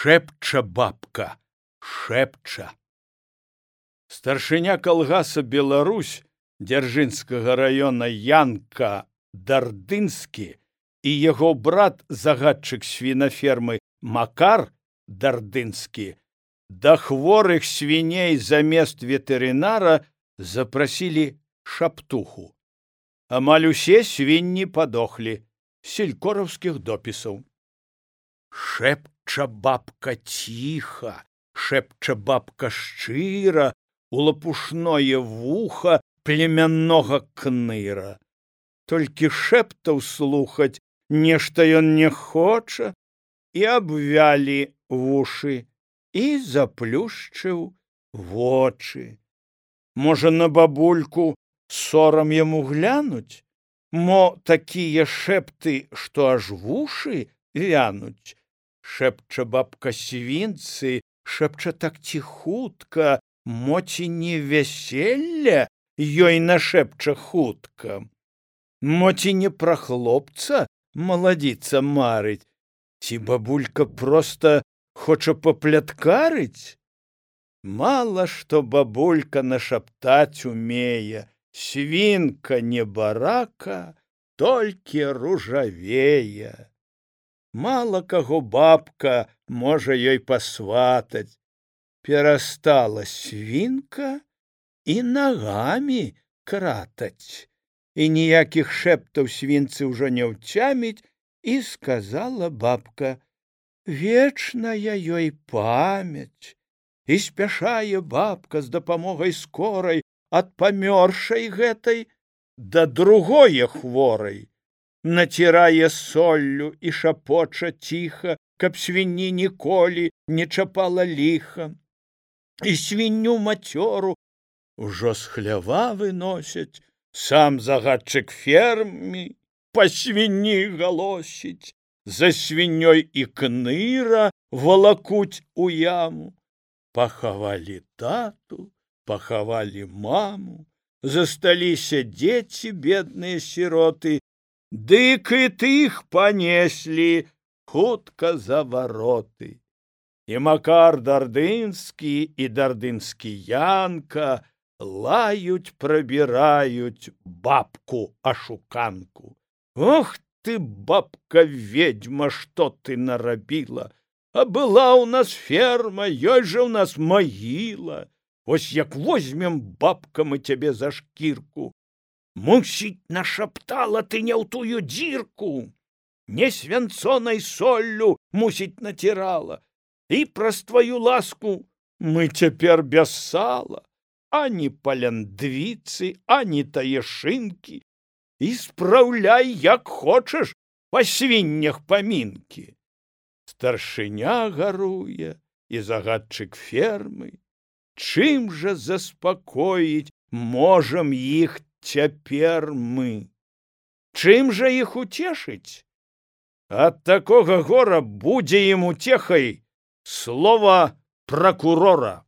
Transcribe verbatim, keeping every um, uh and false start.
Шэпча бабка, шэпча. Старшыня калгаса Беларусь Дзяржынскага района Янка Дардынскі і яго брат, загадчык свінафермы Макар Дардынскі, да хворых свіней замест ветэрынара запрасілі шаптуху. Амаль усе свінні падохлі, селькораўскіх допісаў. Шэпча бабка ціха, шэпча бабка шчыра, у лапушное вуха племяннога кныра. Толькі шэптаў слухаць нешта ён не хоча, і абвялі вушы, і заплюшчыў вочы. Можа, на бабульку сорам яму глянуць? Мо такія шэпты, што аж вушы вянуць. Шэпча бабка свінцы, шэпча так ціхутка, мо ці не вяселля ёй нашэпча хутка. Мо ці не пра хлопца маладзіца марыць, ці бабулька проста хоча папляткарыць? Мала што бабулька нашаптаць умее, свінка не барака, толькі ружавее. Мала каго бабка можа ёй пасватаць. Перастала свінка і нагамі кратаць. І ніякіх шэптаў свінцы ўжо не ўцяміць, і сказала бабка: вечная ёй памяць. І спяшае бабка з дапамогай скорай ад памёршай гэтай да другое хворай. Націрае соллю і шапоча ціха, каб свінні ніколі не чапала ліха. І свінню мацёру ужо з хлява выносяць, сам загадчык фермы па свінні галосіць, за свіннёй і кныра валакуць у яму. Пахавалі тату, пахавалі маму, засталіся дзеці, бедныя сіроты, дык і тых панеслі хутка за вароты. І Макар Дардынскі і Дардынскі Янка лаюць, прабіраюць бабку-ашуканку. Ох ты, бабка-ведьма, што ты нарабіла! А была ў нас ферма, ёй жа ў нас магіла. Вось як возьмем, бабка, мы цябе за шкірку. Мусіць, нашаптала ты не ў тую дзірку. Не свянцонай соллю, мусіць, націрала. І праз тваю ласку мы цяпер без сала, ані паляндвіцы, ані таешынкі. І спраўляй, як хочаш, па свіннях памінкі. Старшыня гаруе і загадчык фермы. Чым жа заспакоіць можам іх цяпер мы? Чым жа іх уцешыць? Ад такога гора будзе ім уцехай слова пракурора.